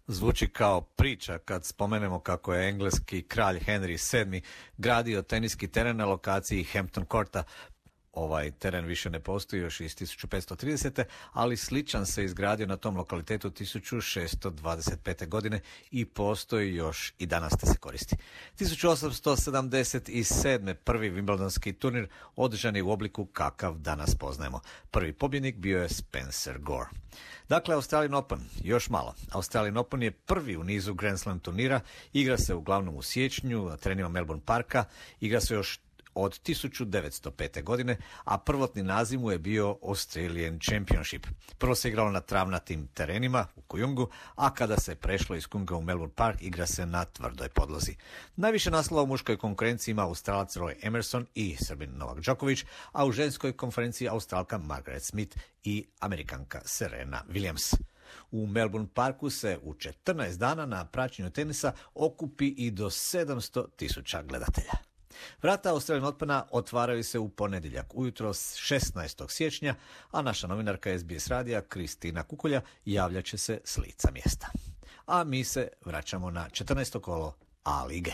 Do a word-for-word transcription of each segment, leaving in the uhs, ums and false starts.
Zvuči kao priča kad spomenemo kako je engleski kralj Henry sedmi gradio teniski teren na lokaciji Hampton Courta. Ovaj teren više ne postoji još iz tisuću petsto tridesete. ali sličan se izgradio na tom lokalitetu tisuću šesto dvadeset pete. godine i postoji još i danas te se koristi. tisuću osamsto sedamdeset sedme. prvi Wimbledonski turnir održan je u obliku kakav danas poznajemo. Prvi pobjednik bio je Spencer Gore. Dakle, Australian Open, još malo. Australian Open je prvi u nizu Grand Slam turnira, igra se uglavnom u siječnju na terenima Melbourne Parka, igra se još od tisuću devetsto pete. godine, a prvotni naziv mu je bio Australian Championship. Prvo se igralo na travnatim terenima u Kujungu, a kada se prešlo iz Kujunga u Melbourne Park, igra se na tvrdoj podlozi. Najviše naslova u muškoj konkurenciji ima Australac Roy Emerson i Srbin Novak Đoković, a u ženskoj konferenciji Australka Margaret Smith i Amerikanka Serena Williams. U Melbourne Parku se u četrnaest dana na praćenju tenisa okupi i do sedamsto tisuća gledatelja. Vrata Australian Opena otvaraju se u ponedjeljak ujutro šesnaestog siječnja, a naša novinarka es be es radija Kristina Kukulja javljat će se s lica mjesta. A mi se vraćamo na četrnaesto kolo A lige.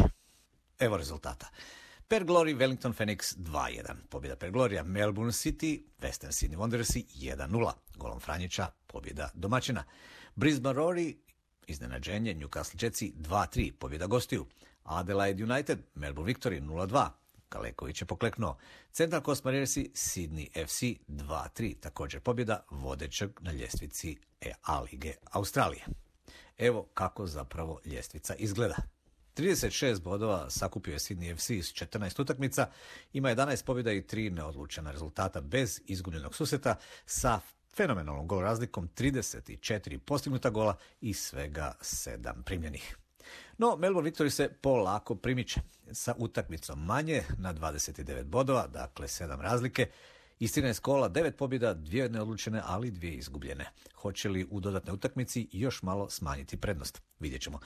Evo rezultata. Per Glory Wellington Phoenix dva jedan. Pobjeda Per Gloria Melbourne City, Western Sydney Wanderersi jedan nula. Golom Franjića pobjeda domaćina. Brisbane Roar iznenađenje Newcastle Jetsi dva tri. Pobjeda gostiju. Adelaide United Melbourne Victory nula dva. Kaleković je pokleknuo. Central Coast Marinersi Sydney ef si dva tri. Također pobjeda vodećeg na ljestvici A lige Australije. Evo kako zapravo ljestvica izgleda. trideset šest bodova sakupio je Sydney ef si s četrnaest utakmica, ima jedanaest pobjeda i tri neodlučena rezultata bez izgubljenog susreta sa fenomenalnom gol razlikom trideset četiri postignuta gola i svega sedam primljenih. No, Melbourne Victory se polako primiče sa utakmicom manje na dvadeset devet bodova, dakle sedam razlike. Iz trinaest kola, devet pobjeda, dvije neodlučene, ali dvije izgubljene. Hoće li u dodatnoj utakmici još malo smanjiti prednost? Vidjet ćemo.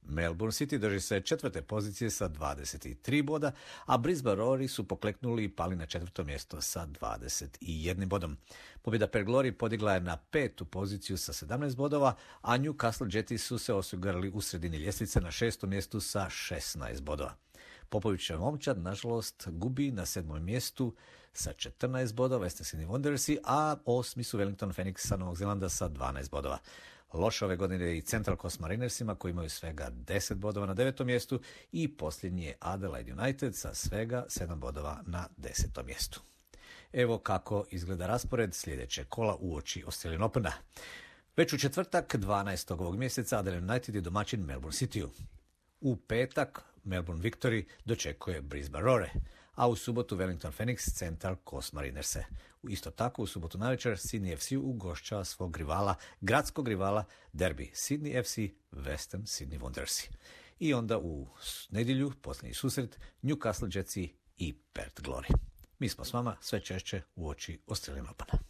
Melbourne City drži se četvrte pozicije sa dvadeset tri boda, a Brisbane Roar su pokleknuli i pali na četvrto mjesto sa dvadeset jednim bodom. Pobjeda Per Glory podigla je na petu poziciju sa sedamnaest bodova, a Newcastle Jetsi su se osigurali u sredini ljestvice na šestom mjestu sa šesnaest bodova. Popovićev momčad, nažalost, gubi na sedmom mjestu sa četrnaest bodova, Western Sydney Wanderersi, a osmi su Wellington Phoenix sa Novog Zelanda sa dvanaest bodova. Loše ove godine i Central Coast Marinersima koji imaju svega deset bodova na devetom mjestu i posljednji je Adelaide United sa svega sedam bodova na desetom mjestu. Evo kako izgleda raspored sljedeće kola uoči Australian Opena. Već u četvrtak dvanaestog ovog mjeseca Adelaide United je domaćin Melbourne Cityu. U petak Melbourne Victory dočekuje Brisbane Roar, a u subotu Wellington Phoenix Central Coast Marinerse. Isto tako u subotu navečer Sydney ef si ugošćava svog rivala, gradskog rivala derbi Sydney ef si Western Sydney Wanderersi. I onda u nedjelju posljednji susret Newcastle Jetsi i Perth Glory. Mi smo s vama sve češće uoči Australian Opena.